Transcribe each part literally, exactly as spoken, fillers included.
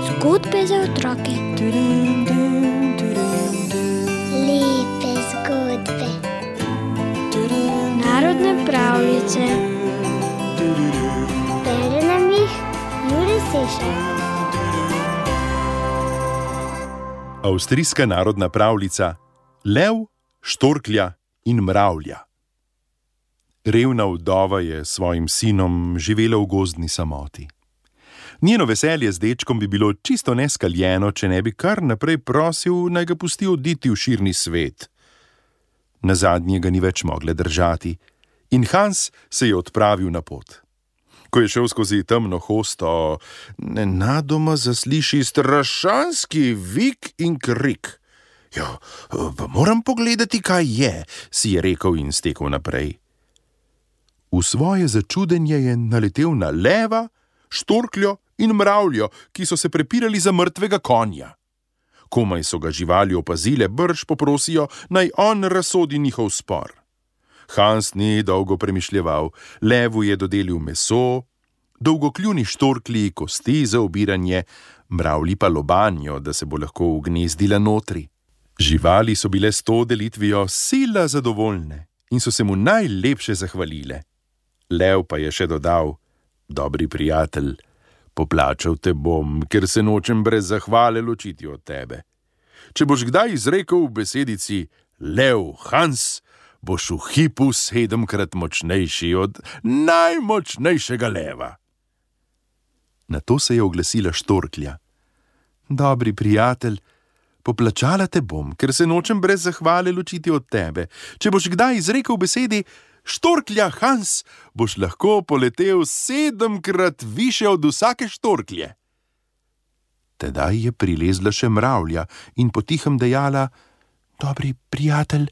Zgodbe za otroke. Lepe zgodbe. Narodne pravljice. Bere nam jih Jure Sešar. Avstrijska narodna pravljica Lev, štorklja in mravlja. Revna vdova je s svojim sinom živela v gozdni samoti. Njeno veselje z dečkom bi bilo čisto neskaljeno, če ne bi kar naprej prosil, naj ga pusti oditi v širni svet. Nazadnje ga ni več mogla držati in Hans se je odpravil na pot. Ko je šel skozi temno hosto, nenadoma zasliši strašanski vik in krik. Ja, pa moram pogledati, kaj je, si je rekel in stekel naprej. V svoje začudenje je naletel na leva, štorkljo in mravljo, ki so se prepirali za mrtvega konja. Komaj so ga živali opazile, brž poprosijo, naj on razsodi njihov spor. Hans ni dolgo premišljeval, levu je dodelil meso, dolgokljuni štorklji kosti za obiranje, mravlji pa lobanjo, da se bo lahko ugnezdila notri. Živali so bile s to delitvijo sila zadovoljne in so se mu najlepše zahvalile. Lev pa je še dodal: dobri prijatelj, poplačal te bom, ker se nočem brez zahvale ločiti od tebe. Če boš kdaj izrekel v besedici Lev Hans, boš v hipu sedemkrat močnejši od najmočnejšega leva. Na to se je oglasila štorklja. Dobri prijatelj, poplačala te bom, ker se nočem brez zahvale ločiti od tebe. Če boš kdaj izrekel v besedi štorklja Hans, boš lahko poletel sedemkrat više od vsake štorklje. Tedaj je prilezla še mravlja in potihem dejala: dobri prijatelj,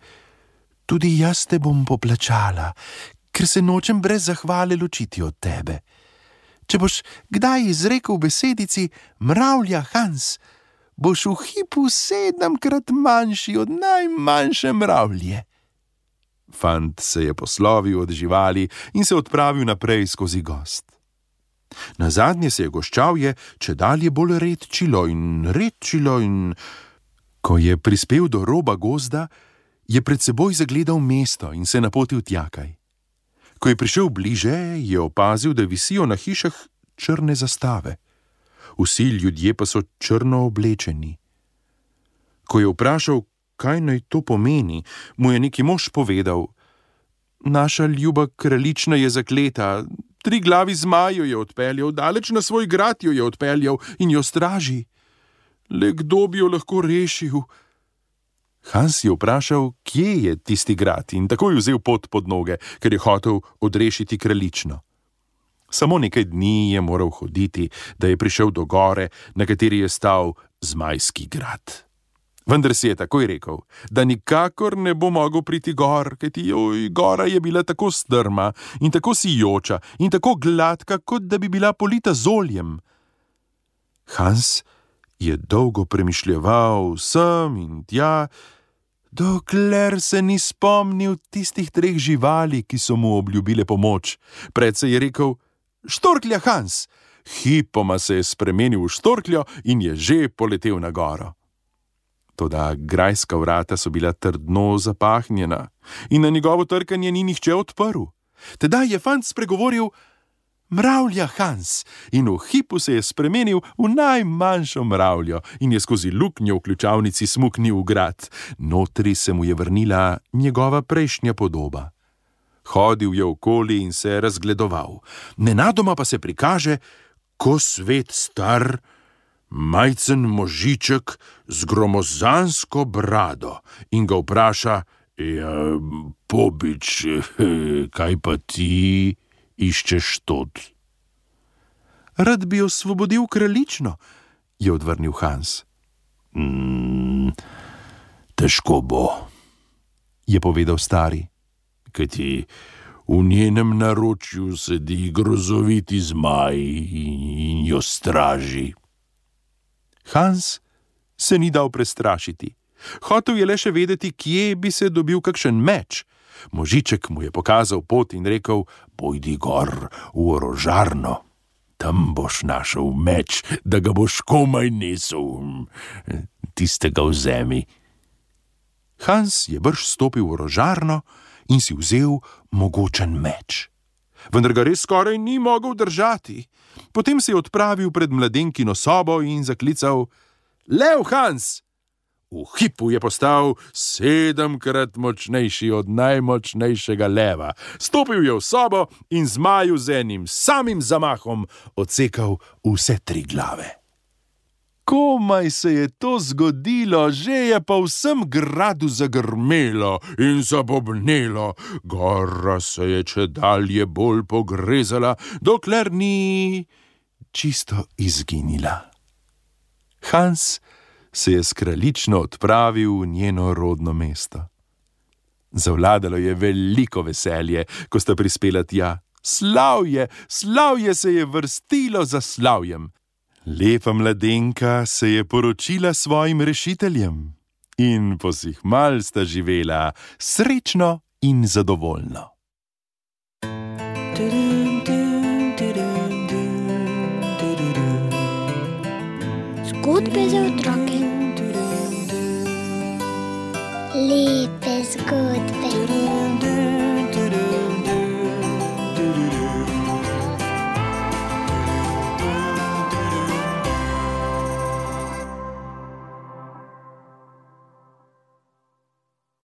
tudi jaz te bom poplačala, ker se nočem brez zahvale ločiti od tebe. Če boš kdaj izrekel v besedici mravlja Hans, boš v hipu sedemkrat manjši od najmanjše mravlje. Fant se je poslovil od živali in se odpravil naprej skozi gozd. Nazadnje se je goščavje čedalje bolj redčilo in redčilo in ko je prispel do roba gozda, je pred seboj zagledal mesto in se napotil tjakaj. Ko je prišel bliže, je opazil, da visijo na hišah črne zastave. Vsi ljudje pa so črno oblečeni. Ko je vprašal, kaj naj to pomeni, mu je neki mož povedal: naša ljuba kraljična je zakleta, tri glavi zmaju je odpeljal, daleč na svoj grad jo je odpeljal in jo straži. Le kdo bi jo lahko rešil? Hans je vprašal, kje je tisti grad, in takoj vzel pot pod noge, ker je hotel odrešiti kraljično. Samo nekaj dni je moral hoditi, da je prišel do gore, na kateri je stal Zmajski grad. Vendar si je takoj rekel, da nikakor ne bo mogel priti gor, kajti joj, gora je bila tako strma in tako sijoča in tako gladka, kot da bi bila polita z oljem. Hans je dolgo premišljeval sem in tja, dokler se ni spomnil tistih treh živali, ki so mu obljubile pomoč. Pred se je rekel: štorklja Hans! Hipoma se je spremenil v štorkljo in je že poletel na goro. Toda grajska vrata so bila trdno zapahnjena in na njegovo trkanje ni nihče odprl. Tedaj je fant spregovoril: mravlja Hans, in v hipu se je spremenil v najmanjšo mravljo in je skozi luknjo v ključavnici smuknil v grad. Notri se mu je vrnila njegova prejšnja podoba. Hodil je okoli in se razgledoval. Nenadoma pa se prikaže, ko svet star, majcen možiček z gromozansko brado in ga vpraša: ja, pobič, kaj pa ti iščeš tod? Rad bi osvobodil kraljično, je odvrnil Hans. Mm, težko bo, je povedal stari, kajti v njenem naročju sedi grozoviti zmaj in jo straži. Hans se ni dal prestrašiti. Hotel je le še vedeti, kje bi se dobil kakšen meč, Možiček mu je pokazal pot in rekel: "Pojdi gor v orožarno. Tam boš našel meč, da ga boš komaj nesel. Tistega vzemi." Hans je brž stopil v orožarno in si vzel mogočen meč. Vendar ga res skoraj ni mogel držati. Potem se je odpravil pred mladenkino sobo in zaklical: "Lev, Hans!" V hipu je postal sedemkrat močnejši od najmočnejšega leva. Stopil je v sobo in zmaju z enim samim zamahom odsekal vse tri glave. Komaj se je to zgodilo, že je pa v vsem gradu zagrmelo in zabobnelo. Gora se je čedalje bolj pogrezala, dokler ni čisto izginila. Hans se je s kraljično odpravil v njeno rodno mesto. Zavladalo je veliko veselje, ko sta prispela tja. Slavje, slavje se je vrstilo za slavjem. Lepa mladenka se je poročila svojim rešiteljem in posihmal sta živela srečno in zadovoljno. Zgodbe za otroke. Lepe